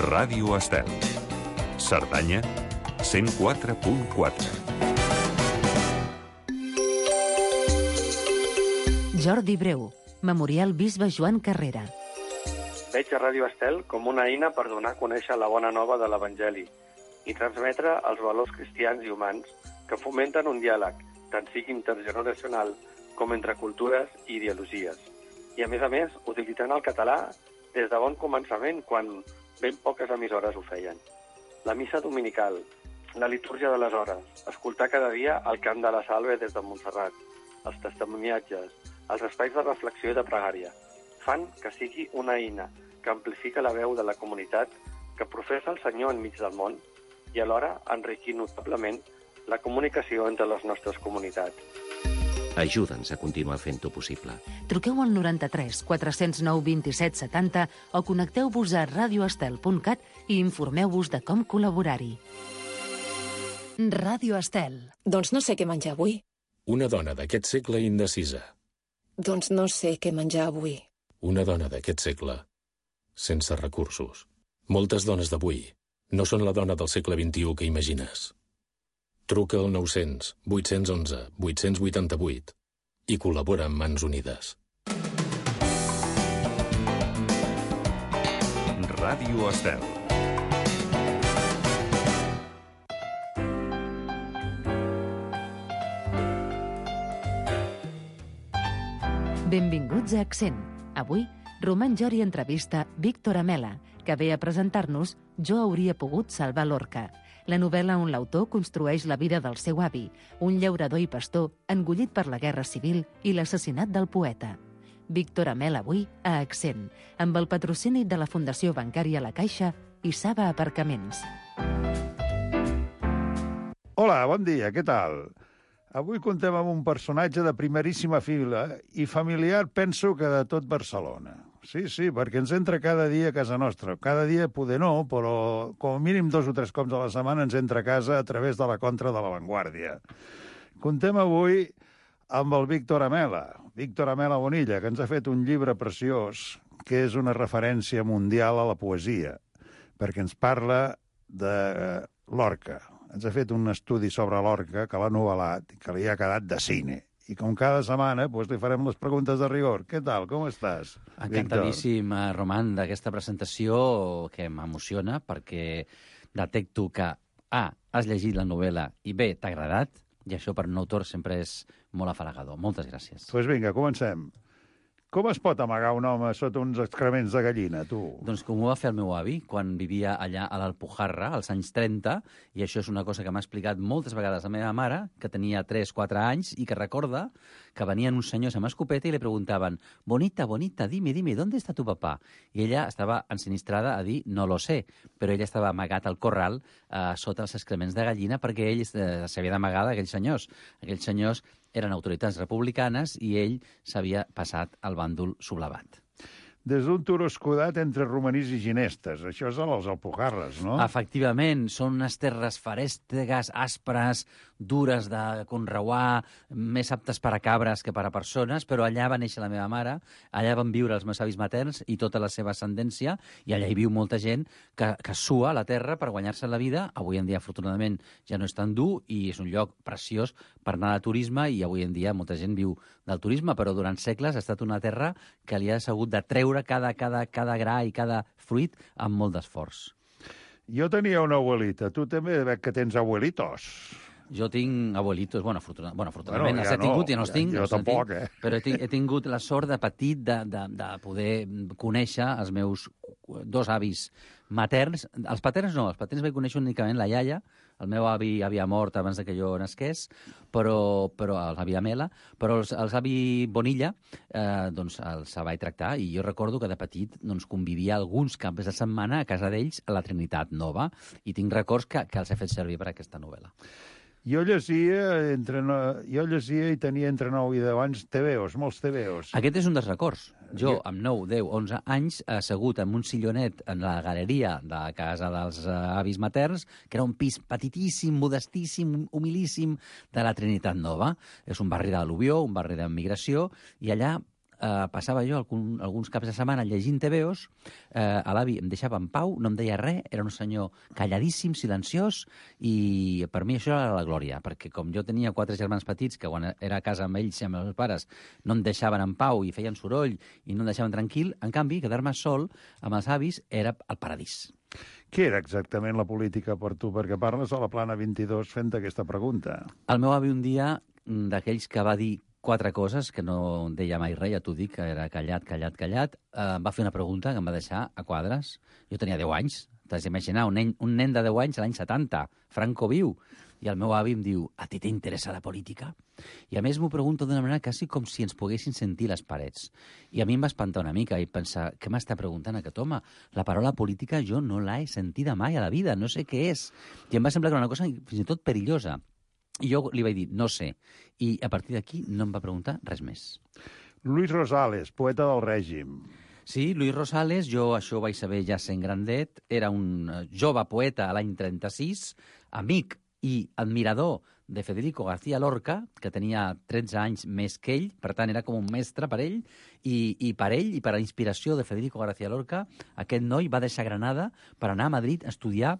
Ràdio Estel. Cerdanya, 104.4. Jordi Breu, Memorial Bisbe Joan Carrera. Veig a Ràdio Estel com una eina per donar a conèixer la bona nova de l'Evangeli i transmetre els valors cristians i humans que fomenten un diàleg, tant sigui intergeneracional com entre cultures i ideologies. I, a més, utilitzant el català des de bon començament, quan ben poques emissores ho feien. La missa dominical, la litúrgia de les hores, escoltar cada dia el cant de la Salve des de Montserrat, els testimoniatges, els espais de reflexió i de pregària, fan que sigui una eina que amplifica la veu de la comunitat que professa el Senyor enmig del món i alhora enriquir notablement la comunicació entre les nostres comunitats. Ajuda'ns a continuar fent-ho possible. Truqueu al 93 409 27 70 o connecteu-vos a radioestel.cat i informeu-vos de com col·laborar-hi. Ràdio Estel. Doncs no sé què menjar avui. Una dona d'aquest segle indecisa. Doncs no sé què menjar avui. Una dona d'aquest segle sense recursos. Moltes dones d'avui no són la dona del segle XXI que imagines. Truca al 900 811 888 i col·labora amb Mans Unides. Ràdio Estel. Benvinguts a Accent. Avui, Roman Jori entrevista Víctor Amela, que ve a presentar-nos Jo hauria pogut salvar l'orca, la novel·la on l'autor construeix la vida del seu avi, un llaurador i pastor engullit per la Guerra Civil i l'assassinat del poeta. Víctor Amela avui a Accent, amb el patrocini de la Fundació Bancària La Caixa i Saba Aparcaments. Hola, bon dia, què tal? Avui contem amb un personatge de primeríssima fila i familiar, penso que de tot Barcelona. Sí, perquè ens entra cada dia a casa nostra. Cada dia poder no, però com a mínim 2 o 3 cops a la setmana ens entra a casa a través de la contra de La Vanguardia. Contem avui amb el Víctor Amela. Víctor Amela Bonilla, que ens ha fet un llibre preciós que és una referència mundial a la poesia, perquè ens parla de l'orca. Ens ha fet un estudi sobre l'orca que l'ha novel·lat i que li ha quedat de cine. I com cada setmana li farem les preguntes de rigor. Què tal? Com estàs, Encantadíssim, Roman, d'aquesta presentació que m'emociona perquè detecto que A, has llegit la novel·la i B, t'ha agradat, i això per un autor sempre és molt afalagador. Moltes gràcies. Doncs vinga, comencem. Com es pot amagar un home sota uns excrements de gallina, tu? Doncs com ho va fer el meu avi quan vivia allà a l'Alpujarra, als anys 30, i això és una cosa que m'ha explicat moltes vegades la meva mare, que tenia 3-4 anys, i que recorda que venien uns senyors amb escopeta i li preguntaven «Bonita, bonita, dime, ¿dónde está tu papá?» I ella estava ensinistrada a dir «No lo sé», però ella estava amagat al corral sota els excrements de gallina perquè ell s'havia d'amagar d'aquells senyors. Aquells senyors eren autoritats republicanes i ell s'havia passat al bàndol sublevat. Des d'un turó escudat entre romanís i ginestes. Això és a les Alpujarres, no? Efectivament, són unes terres ferèstegues, aspres, dures de conreuar, més aptes per a cabres que per a persones, però allà va néixer la meva mare, allà van viure els meus avis materns i tota la seva ascendència, i allà hi viu molta gent que sua la terra per guanyar-se la vida. Avui en dia, afortunadament, ja no és tan dur i és un lloc preciós per anar de turisme, i avui en dia molta gent viu del turisme, però durant segles ha estat una terra que li ha sabut de treure cada gra i cada fruit amb molt d'esforç. Jo tenia una abuelita. Tu també veig que tens abuelitos. Jo tinc abuelitos, afortunadament ja els he tingut i no els tinc. Jo tampoc, Però he tingut la sort de petit de poder conèixer els meus 2 avis materns. Els paterns no, els paterns vaig conèixer únicament la iaia. El meu avi havia mort abans de que jo nasqués, però l'avi Amela, però els avi Bonilla doncs els vaig tractar, i jo recordo que de petit doncs, convivia alguns caps de setmana a casa d'ells a la Trinitat Nova, i tinc records que els he fet servir per aquesta novel·la. Jo llegia i tenia entre 9 i 10 anys tebeos, molts tebeos. Aquest és un dels records. Jo, amb 9, 10, 11 anys, assegut en un sillonet en la galeria de casa dels avis materns, que era un pis petitíssim, modestíssim, humilíssim de la Trinitat Nova. És un barri d'al·luvió, un barri d'emigració, i allà passava jo alguns caps de setmana llegint TVOs, l'avi em deixava en pau, no em deia res, era un senyor calladíssim, silenciós, i per mi això era la glòria, perquè com jo tenia 4 germans petits que quan era a casa amb ells i amb els meus pares no em deixaven en pau i feien soroll i no em deixaven tranquil, en canvi, quedar-me sol amb els avis era el paradís. Què era exactament la política per tu? Perquè parles a la Plana 22 fent aquesta pregunta. El meu avi un dia, d'aquells que va dir 4 coses, que no deia mai res, ja t'ho dic, que era callat, va fer una pregunta que em va deixar a quadres. Jo tenia 10 anys, t'has d'imaginar, un nen de 10 anys a l'any 70, Franco viu. I el meu avi em diu, a ti t'interessa la política? I a més m'ho pregunto d'una manera quasi com si ens poguessin sentir les parets. I a mi em va espantar una mica i pensar, què m'està preguntant aquest home? La paraula política jo no l'he sentida mai a la vida, no sé què és. I em va semblar que era una cosa fins i tot perillosa. I jo li vaig dir, no sé. I a partir d'aquí no em va preguntar res més. Luis Rosales, poeta del règim. Sí, Luis Rosales, jo això ho vaig saber ja sent grandet, era un jove poeta a l'any 36, amic i admirador de Federico García Lorca, que tenia 13 anys més que ell, per tant era com un mestre per ell, i per ell i per la inspiració de Federico García Lorca, aquest noi va deixar Granada per anar a Madrid a estudiar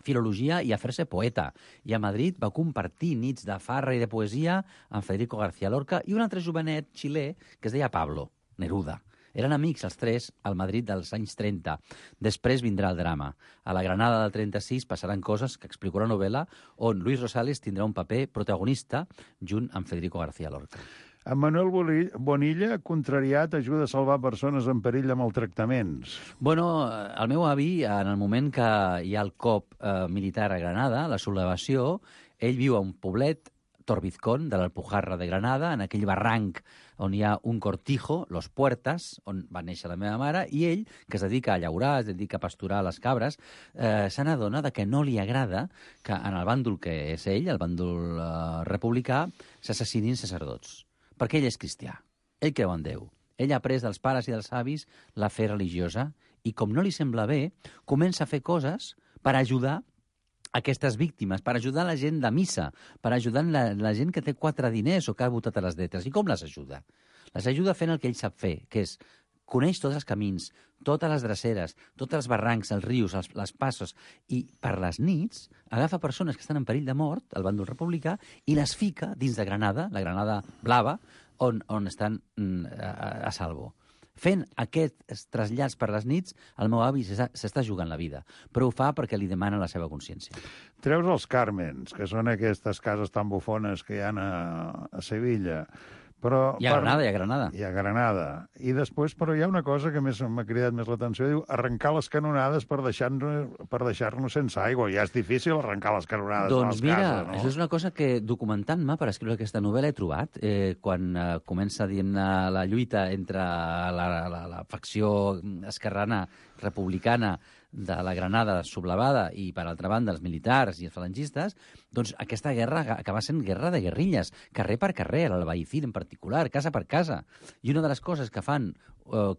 filologia i a fer-se poeta. I a Madrid va compartir nits de farra i de poesia amb Federico García Lorca i un altre jovenet xilè que es deia Pablo Neruda. Eren amics els tres al Madrid dels anys 30. Després vindrà el drama. A la Granada del 36 passaran coses que explico a la novel·la on Luis Rosales tindrà un paper protagonista junt amb Federico García Lorca. En Manuel Bonilla, contrariat, ajuda a salvar persones en perill de maltractaments. Bueno, el meu avi, en el moment que hi ha el cop militar a Granada, la sublevació, ell viu a un poblet, Torbizcón, de l'Alpujarra de Granada, en aquell barranc on hi ha un cortijo, Los Puertas, on va néixer la meva mare, i ell, que es dedica a llaurar, es dedica a pasturar les cabres, se n'adona que no li agrada que en el bàndol que és ell, el bàndol republicà, s'assassinin sacerdots. Perquè ell és cristià. Ell creu en Déu. Ell ha après dels pares i dels avis la fe religiosa i, com no li sembla bé, comença a fer coses per ajudar aquestes víctimes, per ajudar la gent de missa, per ajudar la gent que té 4 diners o que ha votat a les lletres. I com les ajuda? Les ajuda fent el que ell sap fer, que és coneix tots els camins, totes les dreceres, tots els barrancs, els rius, les passos, i per les nits agafa persones que estan en perill de mort, al bàndol republicà, i les fica dins de Granada, la Granada blava, on estan a salvo. Fent aquests trasllats per les nits, el meu avi s'està jugant la vida, però ho fa perquè li demana la seva consciència. Treus els Càrmens, que són aquestes cases tan bufones que hi ha a Sevilla. Però, I a Granada, i a Granada. I a Granada. I després, però hi ha una cosa que m'ha cridat més l'atenció, diu arrencar les canonades per deixar-nos sense aigua. Ja és difícil arrencar les canonades de les cases, no? Això és una cosa que, documentant-me per escriure aquesta novel·la, he trobat. Quan comença la lluita entre la facció esquerrana republicana de la Granada sublevada i, per altra banda, els militars i els falangistes, doncs aquesta guerra acaba sent guerra de guerrilles, carrer per carrer, l'Albaicín en particular, casa per casa. I una de les coses que fan,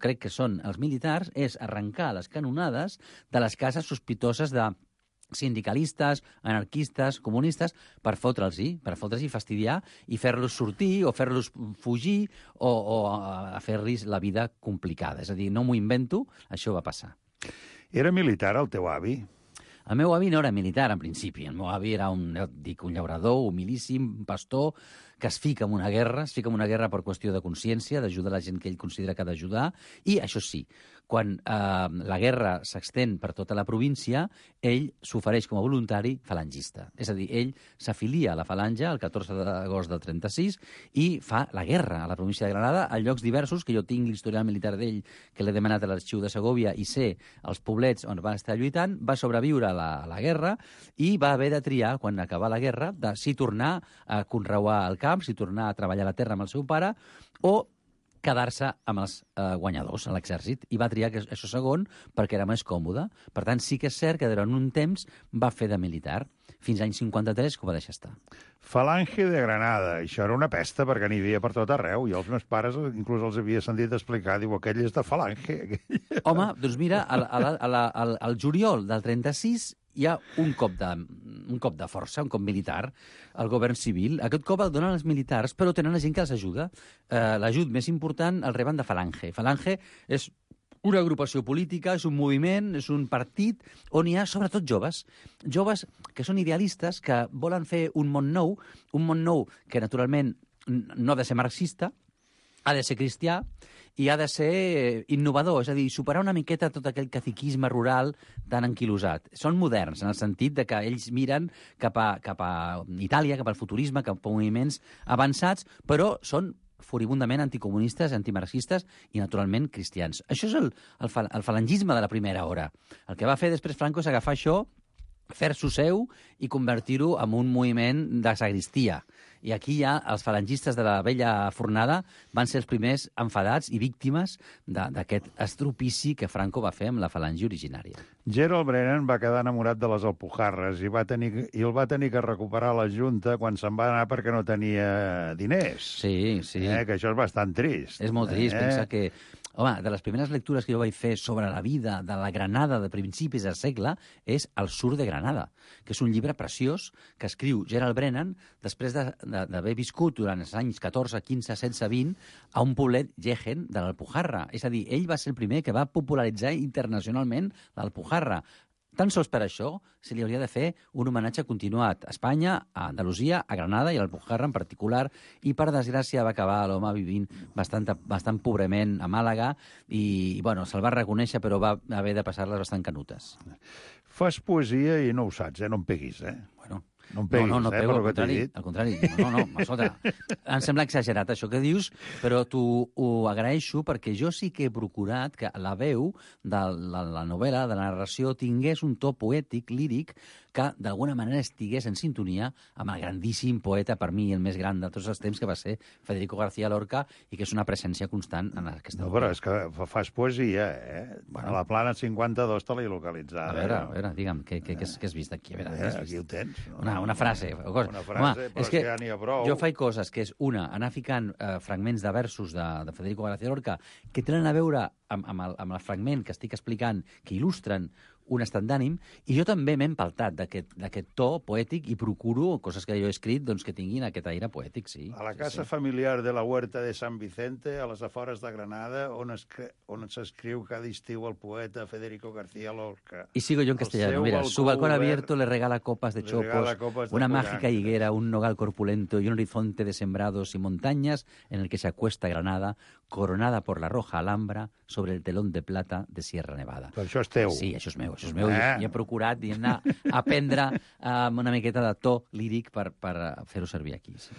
crec que són els militars, és arrencar les canonades de les cases sospitoses de sindicalistes, anarquistes, comunistes, per fotre'ls i fastidiar i fer-los sortir o fer-los fugir o a fer-los la vida complicada. És a dir, no m'ho invento, això va passar. Era militar el teu avi? El meu avi no era militar, en principi. El meu avi era un llaurador, humilíssim, un pastor, que es fica en una guerra per qüestió de consciència, d'ajudar la gent que ell considera que ha d'ajudar, i això sí, quan la guerra s'extén per tota la província, ell s'ofereix com a voluntari falangista. És a dir, ell s'afilia a la falange el 14 d'agost del 36 i fa la guerra a la província de Granada a llocs diversos, que jo tinc l'historial militar d'ell, que l'he demanat a l'arxiu de Segòvia, i sé els poblets on va estar lluitant, va sobreviure a la guerra i va haver de triar, quan acabà la guerra, de si tornar a conreuar el camp, si tornar a treballar la terra amb el seu pare, o quedar-se amb els guanyadors a l'exèrcit, i va triar això segon perquè era més còmode. Per tant, sí que és cert que durant un temps va fer de militar, fins a l'any 53, que ho va deixar estar. Falange de Granada. Això era una pesta perquè n'hi havia per tot arreu. I els meus pares inclús els havia sentit explicar, diu, aquell és de Falange. Home, doncs mira, al juliol del 36 hi ha un cop de força, un cop militar, al govern civil. Aquest cop el donen els militars, però tenen la gent que els ajuda. L'ajut més important el reben de Falange. Falange és una agrupació política, és un moviment, és un partit on hi ha sobretot joves que són idealistes, que volen fer un món nou que naturalment no ha de ser marxista, ha de ser cristià i ha de ser innovador, és a dir, superar una miqueta tot aquell caciquisme rural tan anquilosat. Són moderns, en el sentit de que ells miren cap a Itàlia, cap al futurisme, cap a moviments avançats, però són furibundament anticomunistes, antimarxistes i, naturalment, cristians. Això és el falangisme de la primera hora. El que va fer després Franco és agafar això, fer-s'ho seu i convertir-ho en un moviment de sagristia. I aquí ja els falangistes de la vella fornada van ser els primers enfadats i víctimes d'aquest estropici que Franco va fer amb la falange originària. Gerald Brennan va quedar enamorat de les Alpujarres i el va tenir que recuperar la Junta quan se'n va anar perquè no tenia diners. Sí. Que això és bastant trist. És molt trist, pensa que... Home, de les primeres lectures que jo vaig fer sobre la vida de la Granada de principis del segle és El sur de Granada, que és un llibre preciós que escriu Gerald Brennan després d'haver viscut durant els anys 14, 15, 16, 20 a un poblet Jaén de l'Alpujarra. És a dir, ell va ser el primer que va popularitzar internacionalment l'Alpujarra. Tan sols per això se li hauria de fer un homenatge continuat a Espanya, a Andalusia, a Granada i a l'Alpujarra en particular, i per desgràcia va acabar l'home vivint bastant pobrement a Màlaga i bueno, se'l va reconèixer però va haver de passar-les bastant canutes. Fas poesia i no ho saps, no em peguis, Bueno, no em peguis, no pego, per què t'he dit. al contrari. No, escolta, em sembla exagerat això que dius, però t'ho agraeixo perquè jo sí que he procurat que la veu de la novel·la, de la narració, tingués un to poètic, líric, que d'alguna manera estigués en sintonia amb el grandíssim poeta, per mi el més gran de tots els temps, que va ser Federico García Lorca, i que és una presència constant en aquesta No, però és que fas poesia, Bueno. A la plana 52 te l'he localitzada. A veure, digue'm, què has vist aquí? A veure, aquí ho tens. Una frase. Una frase, però és que ja n'hi ha prou. Jo faig coses que és, una, anar ficant fragments de versos de Federico García Lorca que tenen a veure amb el fragment que estic explicant, que il·lustren un estat d'ànim, i jo també m'he empaltat d'aquest to poètic i procuro coses que jo he escrit doncs, que tinguin aquest aire poètic, sí. A la casa familiar de la Huerta de San Vicente, a les afores de Granada, on s'escriu cada estiu el poeta Federico García Lorca. Y sigo yo en castellano. Mira, su balcón abierto le regala copas de chopos, una mágica higuera, un nogal corpulento y un horizonte de sembrados y montañas en el que se acuesta Granada, coronada por la roja Alhambra sobre el telón de plata de Sierra Nevada. Però això és teu. Sí, això és meu. I he procurat aprendre una miqueta de to líric per fer-ho servir aquí. Sí.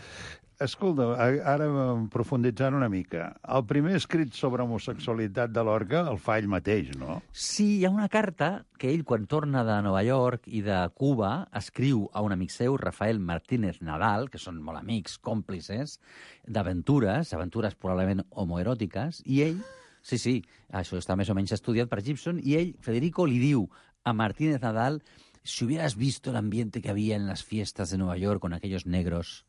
Escolta, ara profunditzant una mica, el primer escrit sobre homosexualitat de Lorca el fa ell mateix, no? Sí, hi ha una carta que ell, quan torna de Nova York i de Cuba, escriu a un amic seu, Rafael Martínez Nadal, que són molt amics, còmplices, d'aventures probablement homoeròtiques, i ell, sí, això està més o menys estudiat per Gibson, i ell, Federico, li diu a Martínez Nadal, si hubieras visto el ambiente que había en las fiestas de Nueva York con aquellos negros.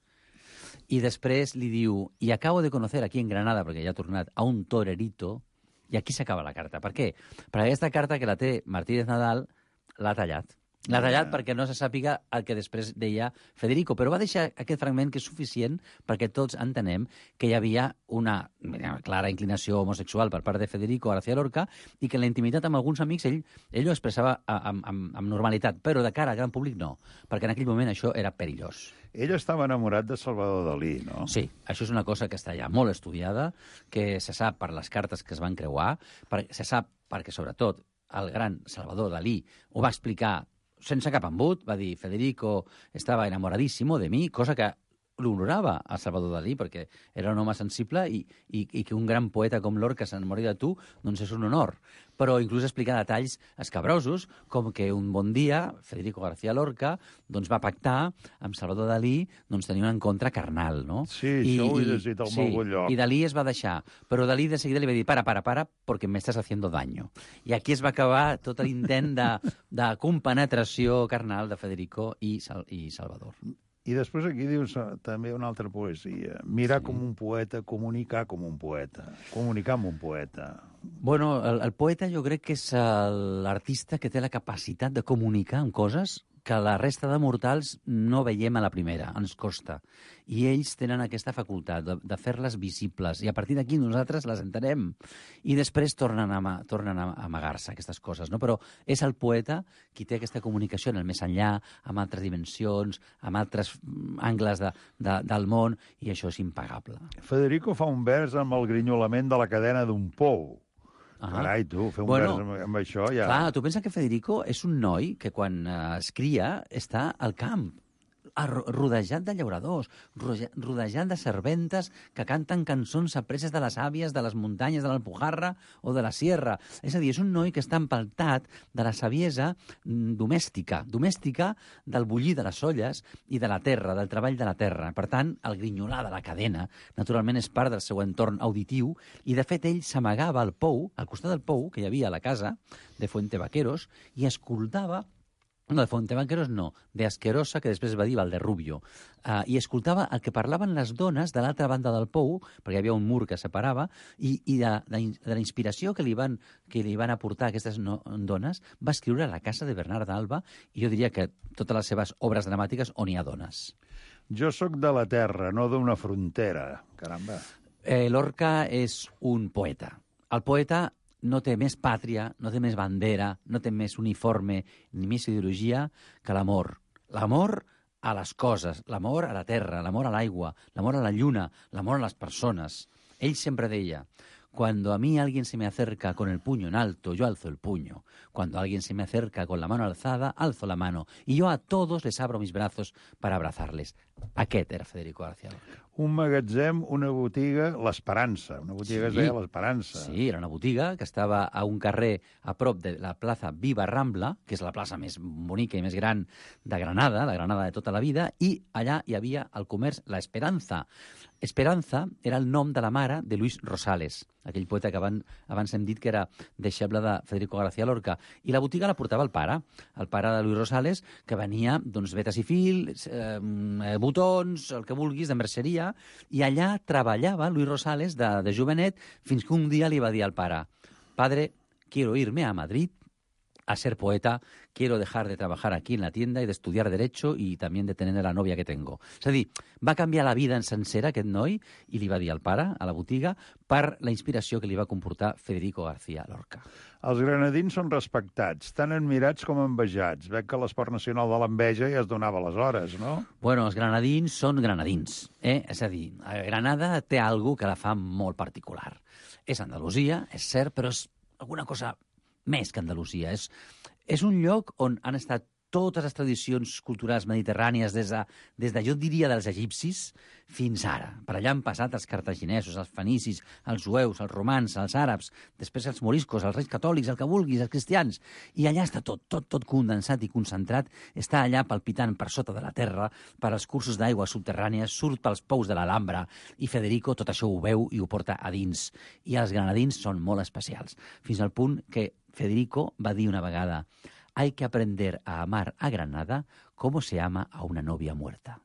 I després li diu, i acabo de conocer aquí en Granada, perquè ja ha tornat, a un torerito, i aquí s'acaba la carta. Per què? Perquè aquesta carta que la té Martínez Nadal l'ha tallat. L'ha tallat perquè no se sàpiga el que després deia Federico, però va deixar aquest fragment que és suficient perquè tots entenem que hi havia una clara inclinació homosexual per part de Federico García Lorca i que en la intimitat amb alguns amics ell ho expressava amb normalitat, però de cara al gran públic no, perquè en aquell moment això era perillós. Ell estava enamorat de Salvador Dalí, no? Sí, això és una cosa que està ja molt estudiada, que se sap per les cartes que es van creuar, se sap perquè, sobretot, el gran Salvador Dalí ho va explicar sense cap embut, va dir Federico estava enamoradíssimo de mi, cosa que l'honorava a Salvador Dalí, perquè era un home sensible i que un gran poeta com Lorca s'enamori de tu, doncs és un honor. Però inclús explicar detalls escabrosos, com que un bon dia Federico García Lorca doncs, va pactar amb Salvador Dalí doncs, tenir un encontre carnal, no? Sí, això ho he llegit al molt bon lloc. I Dalí es va deixar, però Dalí de seguida li va dir para, porque me estás haciendo daño. I aquí es va acabar tot l'intent de compenetració carnal de Federico i Salvador. I després aquí dius també una altra poesia. Mirar com un poeta, comunicar com un poeta. Comunicar amb un poeta. Bueno, el poeta jo crec que és l'artista que té la capacitat de comunicar amb coses que la resta de mortals no veiem a la primera, ens costa. I ells tenen aquesta facultat de fer-les visibles, i a partir d'aquí nosaltres les entenem. I després tornen a amagar-se aquestes coses, no? Però és el poeta qui té aquesta comunicació en el més enllà, amb altres dimensions, amb altres angles del món, i això és impagable. Federico fa un vers amb el grinyolament de la cadena d'un pou. Carai, tu, fer un vers amb això ja... Clar, tu pensa que Federico és un noi que quan es cria està al camp, rodejat de llauradors, rodejat de serventes que canten cançons apreses de les àvies de les muntanyes de l'Alpujarra o de la Sierra. És a dir, és un noi que està empaltat de la saviesa domèstica del bullir de les olles i de la terra, del treball de la terra. Per tant, el grinyolar de la cadena, naturalment, és part del seu entorn auditiu, i, de fet, ell s'amagava al pou, al costat del pou, que hi havia a la casa de Fuentevaqueros, i escoltava. No, de Fuentevaqueros no, de Asquerosa, que després va dir Valderrubio. I escoltava el que parlaven les dones de l'altra banda del pou, perquè hi havia un mur que separava, i de la inspiració que li van aportar aquestes dones, va escriure La casa de Bernard d'Alba, i jo diria que totes les seves obres dramàtiques on hi ha dones. Jo sóc de la terra, no d'una frontera. Caramba. Lorca és un poeta. El poeta no té més pàtria, no té més bandera, no té més uniforme ni més ideologia que l'amor. L'amor a les coses, l'amor a la terra, l'amor a l'aigua, l'amor a la lluna, l'amor a les persones. Ell sempre deia: cuando a mí alguien se me acerca con el puño en alto, yo alzo el puño. Cuando alguien se me acerca con la mano alzada, alzo la mano. Y yo a todos les abro mis brazos para abrazarles. Aquest era Federico García Lorca. Un magatzem, una botiga, l'Esperança. Una botiga que es deia l'Esperança. Sí, era una botiga que estava a un carrer a prop de la plaça Viva Rambla, que és la plaça més bonica i més gran de Granada, la Granada de tota la vida, i allà hi havia el comerç La Esperanza. Esperanza era el nom de la mare de Luis Rosales, aquell poeta que abans hem dit que era deixeble de Federico García Lorca. I la botiga la portava el pare de Luis Rosales, que venia, doncs, vetes i fils, botons, el que vulguis, de merceria, i allà treballava Luis Rosales de jovenet, fins que un dia li va dir al pare: «Padre, quiero irme a Madrid a ser poeta, quiero dejar de trabajar aquí en la tienda y de estudiar Derecho y también de tener la novia que tengo». És a dir, va canviar la vida en sencera, aquest noi, i li va dir al pare, a la botiga, per la inspiració que li va comportar Federico García Lorca. Els granadins són respectats, tan admirats com envejats. Veig que l'esport nacional de l'enveja ja es donava aleshores, no? Bueno, els granadins són granadins. És a dir, Granada té alguna que la fa molt particular. És Andalusia, és cert, però és alguna cosa més que Andalusia. És un lloc on han estat totes les tradicions culturals mediterrànies des de, jo diria, dels egipcis fins ara. Per allà han passat els cartaginesos, els fenicis, els jueus, els romans, els àrabs, després els moriscos, els reis catòlics, el que vulguis, els cristians. I allà està tot condensat i concentrat, està allà palpitant per sota de la terra, per als cursos d'aigua subterrànies, surt pels pous de l'Alhambra, i Federico tot això ho veu i ho porta a dins. I els granadins són molt especials, fins al punt que Federico va dir una vegada: «Hay que aprender a amar a Granada como se ama a una novia muerta».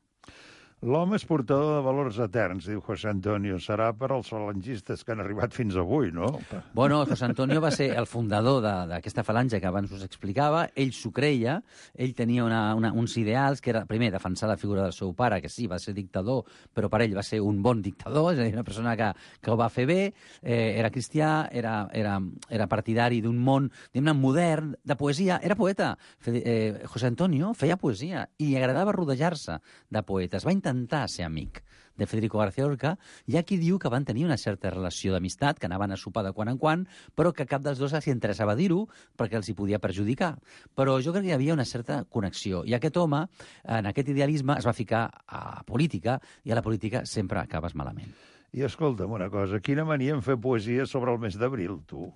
L'home és portador de valors eterns, diu José Antonio. Serà per als falangistes que han arribat fins avui, no? Bueno, José Antonio va ser el fundador d'aquesta falange que abans us explicava. Ell s'ho creia, ell tenia uns ideals, que era, primer, defensar la figura del seu pare, que sí, va ser dictador, però per ell va ser un bon dictador, és a dir, una persona que ho va fer bé, era cristià, era partidari d'un món, diguem-ne, modern, de poesia, era poeta. José Antonio feia poesia i li agradava rodejar-se de poetes. Va intentar ser amic de Federico García Lorca. Hi ha qui diu que van tenir una certa relació d'amistat, que anaven a sopar de quan en quan, però que cap dels dos els interessava dir-ho perquè els hi podia perjudicar. Però jo crec que hi havia una certa connexió. I aquest home, en aquest idealisme, es va ficar a política, i a la política sempre acabes malament. I escolta'm una cosa, quina mania en fer poesia sobre el mes d'abril, tu?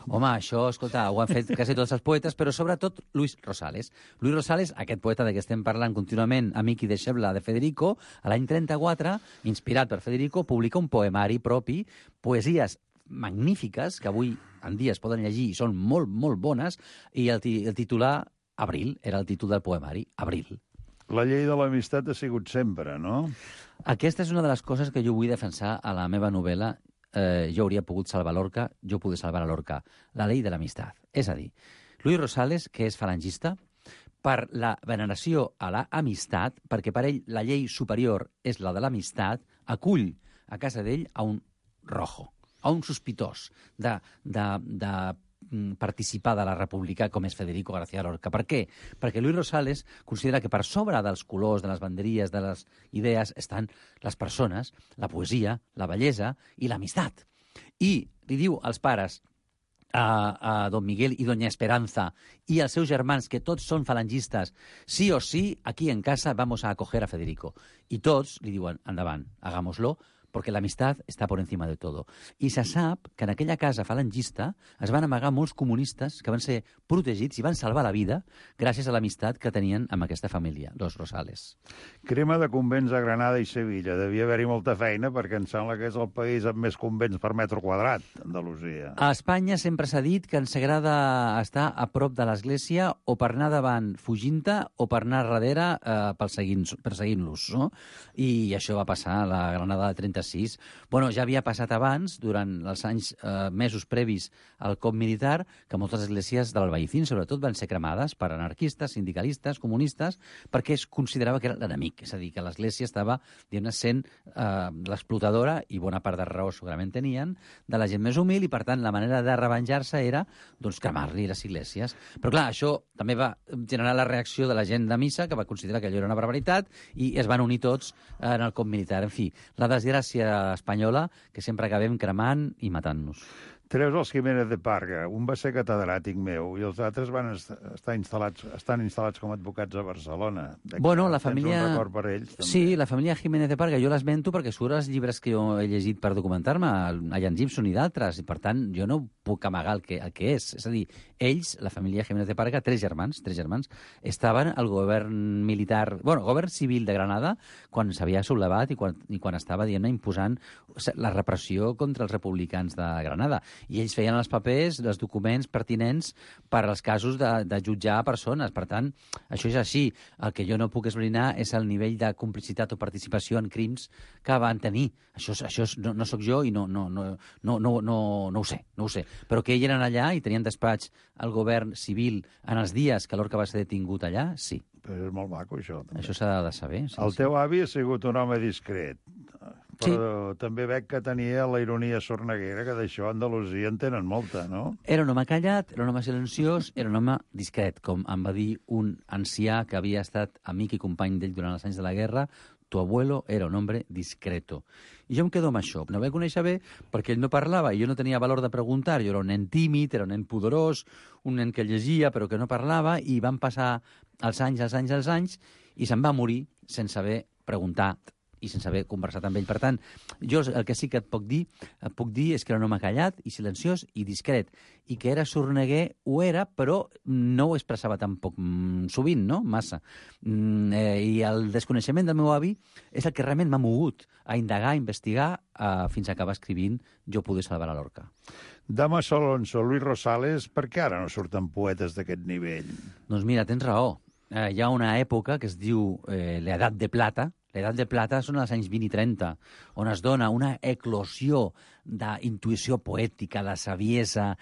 Home, això, escolta, ho han fet quasi tots els poetes, però sobretot Luis Rosales. Luis Rosales, aquest poeta de què estem parlant contínuament, amic i deixeble de Federico, a l'any 34, inspirat per Federico, publica un poemari propi, poesies magnífiques, que avui en dia es poden llegir i són molt, molt bones, i el titular Abril era el títol del poemari, Abril. La llei de l'amistat ha sigut sempre, no? Aquesta és una de les coses que jo vull defensar a la meva novel·la. jo hauria pogut salvar Lorca, jo pude salvar a Lorca. La llei de l'amistat. És a dir, Luis Rosales, que és falangista, per la veneració a l'amistat, perquè per ell la llei superior és la de l'amistat, acull a casa d'ell a un rojo, a un sospitós de participar de la República com és Federico García Lorca. Per què? Perquè Luis Rosales considera que per sobre dels colors, de les banderies, de les idees, estan les persones, la poesia, la bellesa i l'amistat. I li diu als pares, a don Miguel i doña Esperanza i als seus germans, que tots són falangistes, sí o sí, aquí en casa vamos a acoger a Federico. I tots li diuen, endavant, hagámoslo, perquè l'amistat està per encima de tot. I se sap que en aquella casa falangista es van amagar molts comunistes que van ser protegits i van salvar la vida gràcies a l'amistat que tenien amb aquesta família, los Rosales. Crema de convents a Granada i Sevilla. Devia haver-hi molta feina perquè em sembla que és el país amb més convents per metre quadrat, Andalusia. A Espanya sempre s'ha dit que ens agrada estar a prop de l'església o per anar davant fugint-te o per anar darrere perseguint-los, no? I això va passar a la Granada de 36. Bueno, ja havia passat abans, durant els anys mesos previs al cop militar, que moltes esglésies de l'Albaicín, sobretot, van ser cremades per anarquistes, sindicalistes, comunistes, perquè es considerava que era l'enemic. És a dir, que l'església estava, diguem-ne, sent l'explotadora, i bona part de raó segurament tenien, de la gent més humil, i per tant la manera de revenjar-se era doncs, cremar-li les esglésies. Però clar, això també va generar la reacció de la gent de missa, que va considerar que allò era una barbaritat, i es van unir tots en el cop militar. En fi, la desgràcia espanyola, que sempre acabem cremant i matant-nos. Treus els Jiménez de Parga. Un va ser catedràtic meu i els altres estan instal·lats com a advocats a Barcelona. Bueno, la família... Tens un record per ells, també. Sí, la família Jiménez de Parga, jo l'esmento perquè surt els llibres que jo he llegit per documentar-me, a Ian Gibson i d'altres, i per tant jo no puc amagar el que és. És a dir, ells, la família Jiménez de Parga, tres germans, estaven al govern militar, govern civil de Granada, quan s'havia sublevat i quan estava, diguem-ne, imposant la repressió contra els republicans de Granada. I ells feien els papers, els documents pertinents per als casos de jutjar persones. Per tant, això és així. El que jo no puc esbrinar és el nivell de complicitat o participació en crims que van tenir. Això no sóc jo i no ho sé. Però que ells eren allà i tenien despatx al govern civil en els dies que Lorca va ser detingut allà, sí. Però és molt maco, això. També. Això s'ha de saber. Sí, el teu avi ha sigut un home discret. Però també veig que tenia la ironia sorneguera, que d'això a Andalusia en tenen molta, no? Era un home callat, era un home silenciós, era un home discret, com em va dir un ancià que havia estat amic i company d'ell durant els anys de la guerra. Tu abuelo era un hombre discreto. I jo em quedo amb això. No el vaig conèixer bé perquè ell no parlava i jo no tenia valor de preguntar. Jo era un nen tímid, era un nen pudorós, un nen que llegia però que no parlava, i van passar els anys i se'n va morir sense haver preguntat i sense haver conversat amb ell. Per tant, jo el que sí que et puc dir és que era un home callat i silenciós i discret, i que era sorneguer, ho era, però no ho expressava tampoc sovint, no? Massa. I el desconeixement del meu avi és el que realment m'ha mogut a indagar, a investigar, fins a acabar escrivint Jo pude salvar a Lorca. Damas Alonso, Luis Rosales, per què ara no surten poetes d'aquest nivell? Doncs mira, tens raó. Hi ha una època que es diu l'edat de plata. L'edat de plata són els anys 20 i 30, on es dona una eclosió d'intuïció poètica, de saviesa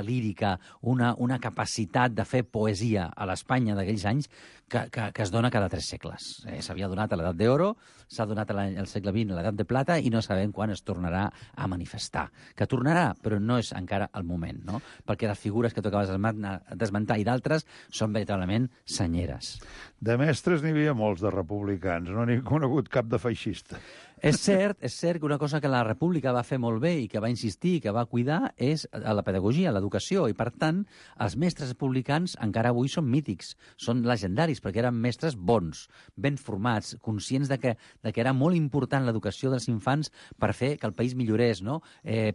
lírica, una capacitat de fer poesia a l'Espanya d'aquells anys que es dona cada 3 segles. S'havia donat a l'edat d'oro, s'ha donat al segle XX a l'edat de plata, i no sabem quan es tornarà a manifestar. Que tornarà, però no és encara el moment, no? Perquè les figures que tu acabes d'esmentar i d'altres són veritablement senyeres. De mestres n'hi havia molts, de republicans. No n'hi he conegut cap de feixista. És cert que una cosa que la República va fer molt bé i que va insistir i que va cuidar és la pedagogia, l'educació, i per tant els mestres republicans encara avui són mítics, són legendaris, perquè eren mestres bons, ben formats, conscients de que era molt important l'educació dels infants per fer que el país millorés, no?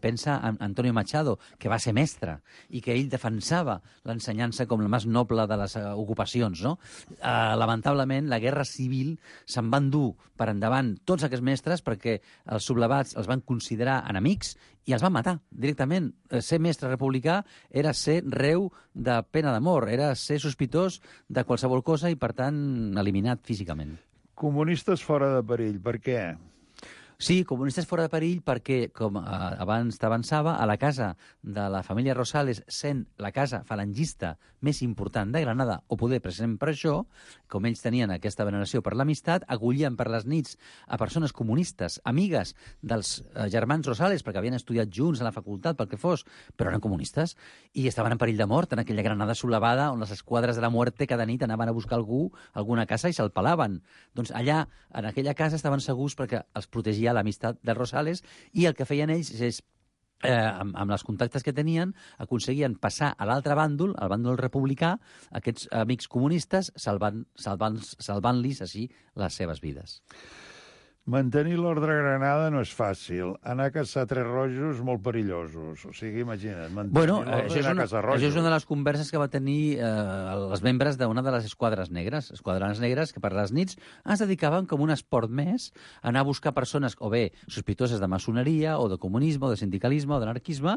Pensa en Antonio Machado, que va ser mestre i que ell defensava l'ensenyança com la més noble de les ocupacions, no? Lamentablement, la guerra civil se'n va endur per endavant tots aquests mestres perquè els sublevats els van considerar enemics i els van matar directament. Ser mestre republicà era ser reu de pena de mort, era ser sospitós de qualsevol cosa i, per tant, eliminat físicament. Comunistes fora de perill, per què? Sí, comunistes fora de perill perquè, com abans t'avançava, a la casa de la família Rosales, sent la casa falangista més important de Granada, o poder precisament per això, com ells tenien aquesta veneració per l'amistat, acollien per les nits a persones comunistes, amigues dels germans Rosales, perquè havien estudiat junts a la facultat, pel que fos, però eren comunistes, i estaven en perill de mort en aquella Granada solavada on les esquadres de la muerte cada nit anaven a buscar algú, alguna casa, i se'l pelaven. Doncs allà, en aquella casa, estaven segurs perquè els protegia l'amistat de Rosales, i el que feien ells és, amb els contactes que tenien, aconseguien passar a l'altre bàndol, al bàndol republicà, aquests amics comunistes, salvant-los així les seves vides. Mantenir l'ordre a Granada no és fàcil. Anar a caçar tres rojos, molt perillosos. O sigui, imagina't, mantenir l'ordre i anar a caçar rojos. Això és una de les converses que va tenir els membres d'una de les esquadres negres. Esquadres negres que per les nits es dedicaven com un esport més a anar a buscar persones o bé sospitoses de maçoneria o de comunisme o de sindicalisme o d'anarquisme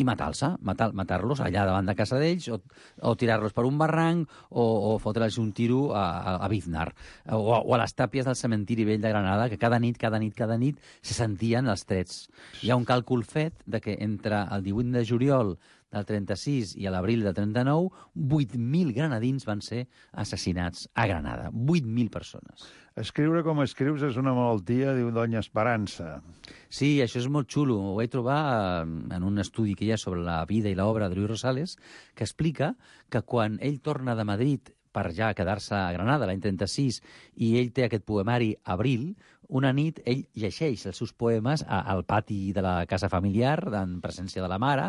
i matar-los allà davant de casa d'ells o tirar-los per un barranc o fotre'ls un tiro a Biznar o a les tàpies del cementiri vell de Granada, que cada nit se sentien els trets. Hi ha un càlcul fet de que entre el 18 de juliol del 36 i a l'abril del 39, 8.000 granadins van ser assassinats a Granada. 8.000 persones. Escriure com escrius és una malaltia, diu Doña Esperança. Sí, això és molt xulo. Ho vaig trobar en un estudi que hi ha sobre la vida i l'obra de Luis Rosales, que explica que quan ell torna de Madrid per ja quedar-se a Granada l'any 36, i ell té aquest poemari Abril, una nit ell llegeix els seus poemes al pati de la casa familiar, en presència de la mare,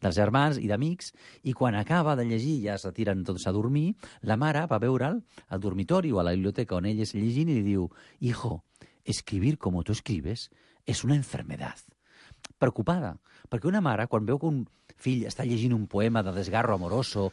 dels germans i d'amics, i quan acaba de llegir, ja es retiren tots a dormir, la mare va veure'l al dormitori o a la biblioteca on ell és llegint i li diu: «Hijo, escribir como tú escribes es una enfermedad». Preocupada, perquè una mare, quan veu que un fill està llegint un poema de desgarro amoroso,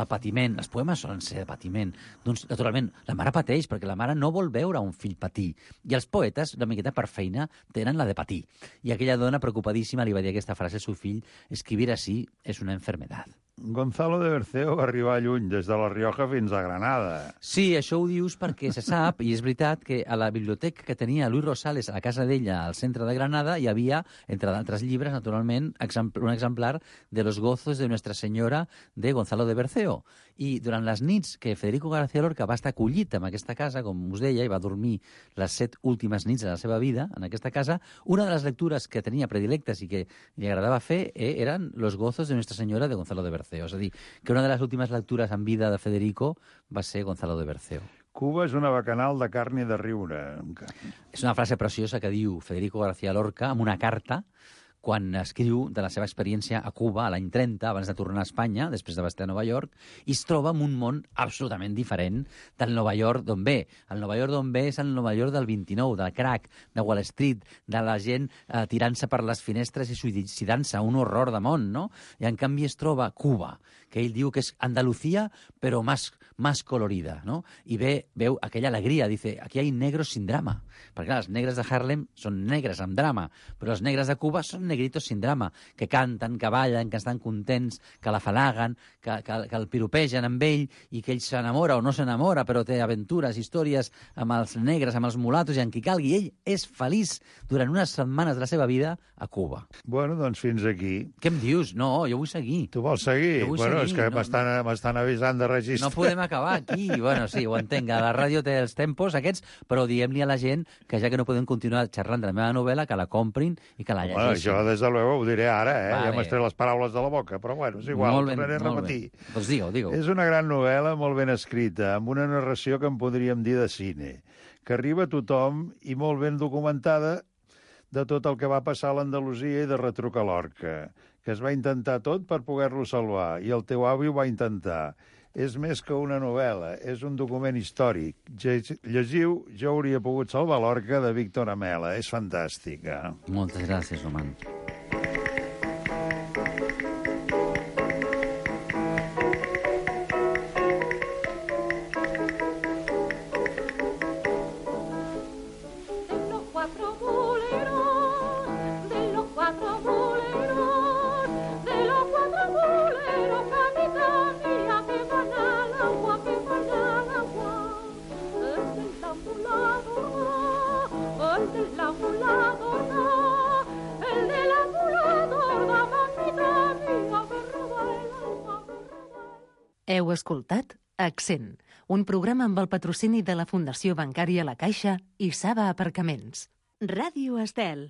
patiment, els poemes solen ser de patiment, doncs, naturalment, la mare pateix, perquè la mare no vol veure un fill patir. I els poetes, una miqueta per feina, tenen la de patir. I aquella dona, preocupadíssima, li va dir aquesta frase al seu fill: «Escribir así es una enfermedad». Gonzalo de Berceo va arribar lluny, des de La Rioja fins a Granada. Sí, això ho dius perquè se sap, i és veritat, que a la biblioteca que tenia Luis Rosales a la casa d'ella, al centre de Granada, hi havia, entre d'altres llibres, naturalment, un exemplar de Los gozos de Nuestra Senyora de Gonzalo de Berceo. I durant les nits que Federico García Lorca va estar acollit en aquesta casa, com us deia, i va dormir les 7 últimes nits de la seva vida en aquesta casa, una de les lectures que tenia predilectes i que li agradava fer eren Los gozos de Nuestra Senyora de Gonzalo de Berceo. És a dir, que una de les últimes lectures en vida de Federico va ser Gonzalo de Berceo. Cuba és una bacanal de carn i de riure. És una frase preciosa que diu Federico García Lorca en una carta quan escriu de la seva experiència a Cuba l'any 30, abans de tornar a Espanya, després de estar a Nova York, i es troba en un món absolutament diferent del Nova York d'on ve. El Nova York d'on ve és el Nova York del 29, del crack, de Wall Street, de la gent tirant-se per les finestres i suïcidant-se, un horror de món, no? I en canvi es troba Cuba, que ell diu que és Andalucía, però más colorida, no? I veu aquella alegria, dice, aquí hay negros sin drama. Perquè clar, els negres de Harlem són negres amb drama, però els negres de Cuba són negritos sin drama, que canten, que ballen, que estan contents, que l'afalaguen, que el piropegen amb ell i que ell s'enamora o no s'enamora, però té aventures, històries amb els negres, amb els mulatos i amb qui calgui. Ell és feliç durant unes setmanes de la seva vida a Cuba. Bueno, doncs fins aquí. Què em dius? No, jo vull seguir. Tu vols seguir? Bueno, és que m'estan avisant de registrar. No podem acabar aquí. Bueno, sí, ho entenc. La ràdio té els tempos aquests, però diguem-li a la gent que ja que no podem continuar xerrant de la meva novel·la, que la comprin i que la llegeixin. Jo, des de luego, ho diré ara, Vale. Ja m'has tret les paraules de la boca, però bueno, és igual, ho tornaré a repetir. Doncs digue-ho. És una gran novel·la, molt ben escrita, amb una narració que en podríem dir de cine, que arriba a tothom i molt ben documentada de tot el que va passar a l'Andalusia i de retruc a Lorca, que es va intentar tot per poder-lo salvar, i el teu avi ho va intentar. És més que una novel·la, és un document històric. Llegiu Jo hauria pogut salvar Lorca, de Víctor Amela. És fantàstica. Moltes gràcies, Roman. Del lado Heu escoltat Accent, un programa amb el patrocini de la Fundació Bancària La Caixa i Saba Aparcaments. Ràdio Estel.